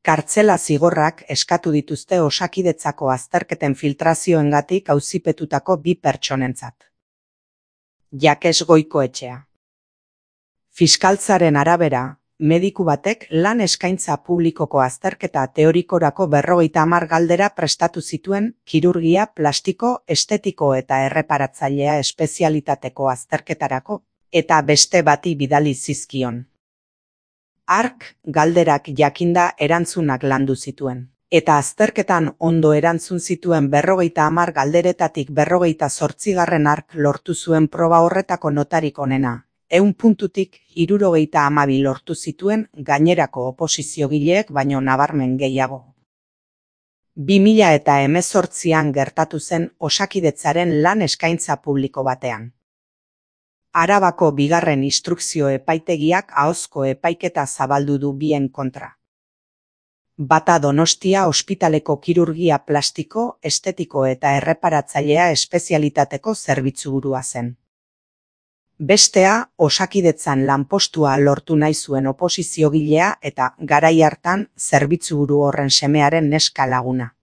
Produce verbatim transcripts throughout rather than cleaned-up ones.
Kartzela zigorrak eskatu dituzte Osakidetzako azterketen filtrazioengatik auzipetutako bi pertsonentzat. Jakes Goikoetxea. Fiskaltzaren arabera, mediku batek lan eskaintza publikoko azterketa teorikorako berrogeita hamar galdera prestatu zituen kirurgia, plastiko, estetiko eta erreparatzailea espezialitateko azterketarako, eta beste bati bidali zizkion. Hark, galderak jakinda erantzunak landu zituen, eta azterketan ondo erantzun zituen berrogeita hamar galderetatik berrogeita zortzigarren hark lortu zuen proba horretako notarik onena. Ehun puntutik hirurogeita hamabi lortu zituen gainerako oposiziogileek baino nabarmen gehiago. bi mila eta hemezortzian gertatu zen Osakidetzaren lan eskaintza publiko batean. Arabako bigarren instrukzio epaitegiak ahozko epaiketa zabaldu du bien kontra. Bata Donostia ospitaleko kirurgia plastiko, estetiko eta erreparatzailea espezialitateko zerbitzuburua zen. Bestea, Osakidetzan lanpostua lortu nahi zuen oposiziogilea eta garai hartan zerbitzuburu horren semearen neska laguna.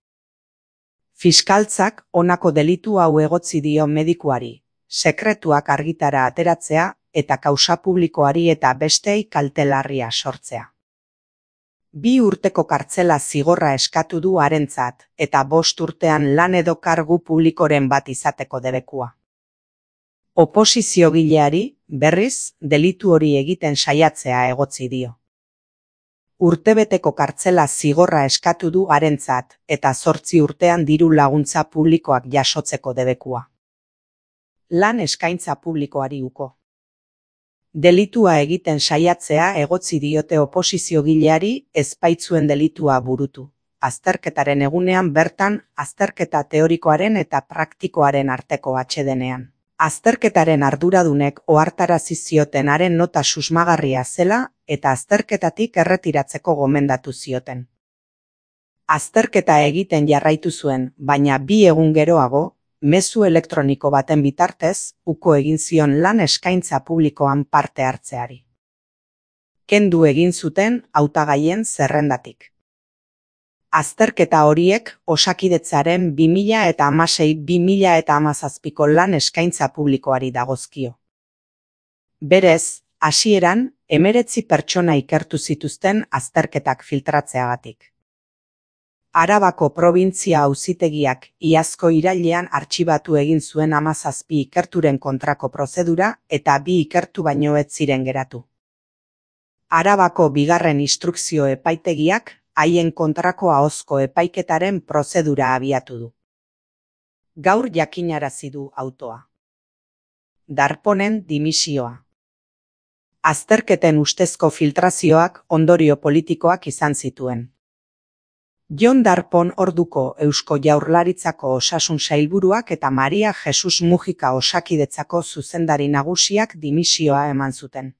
Fiskaltzak honako delitu hau egotzi dio medikuari, sekretuak argitara ateratzea eta kausa publikoari eta bestei kalte larria sortzea. Bi urteko kartzela zigorra eskatu du harentzat eta bost urtean lan edo kargu publikoren bat izateko debekua. Oposiziogileari, berriz, delitu hori egiten saiatzea egotzi dio. Urtebeteko kartzela zigorra eskatu du harentzat eta zortzi urtean diru laguntza publikoak jasotzeko debekua. Lan eskaintza publikoari uko. Delitua egiten saiatzea egotzi diote oposiziogileari ez baitzuen delitua burutu. Azterketaren egunean bertan, azterketa teorikoaren eta praktikoaren arteko atsedenean. Azterketaren arduradunek ohartarazi zioten haren nota susmagarria zela eta azterketatik erretiratzeko gomendatu zioten. Azterketa egiten jarraitu zuen, baina bi egun geroago, mezu elektroniko baten bitartez, uko egin zion lan eskaintza publikoan parte hartzeari. Kendu egin zuten hautagaien zerrendatik. Azterketa horiek Osakidetzaren bi mila eta hamasei bi mila eta hamazazpiko lan eskaintza publikoari dagozkio. Berez, hasieran, hemeretzi pertsona ikertu zituzten azterketak filtratzeagatik. Arabako probintzia auzitegiak iazko irailean artxibatu egin zuen hamazazpi ikerturen kontrako prozedura eta bi ikertu baino ez ziren geratu. Arabako bigarren instrukzio epaitegiak haien kontrako ahozko epaiketaren prozedura abiatu du. Gaur jakinarazi du autoa. Darponen dimisioa. Azterketen ustezko filtrazioak ondorio politikoak izan zituen. Jon Darpon orduko Eusko Jaurlaritzako osasun sailburuak eta Maria Jesus Mujika Osakidetzako zuzendari nagusiak dimisioa eman zuten.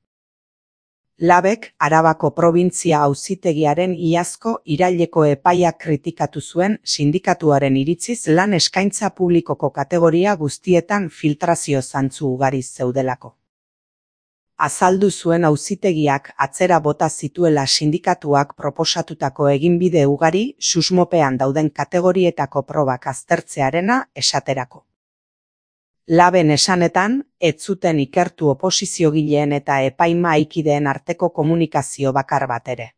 Labek Arabako probintzia auzitegiaren iazko iraileko epaia kritikatu zuen sindikatuaren iritziz lan eskaintza publikoko kategoria guztietan filtrazio zantzu ugari zeudelako. Azaldu zuen auzitegiak atzera bota zituela sindikatuak proposatutako eginbide ugari susmopean dauden kategorietako probak aztertzearena esaterako. Laben esanetan, ez zuten ikertu oposiziogileen eta epaimahaikideen arteko komunikazio bakar bat ere.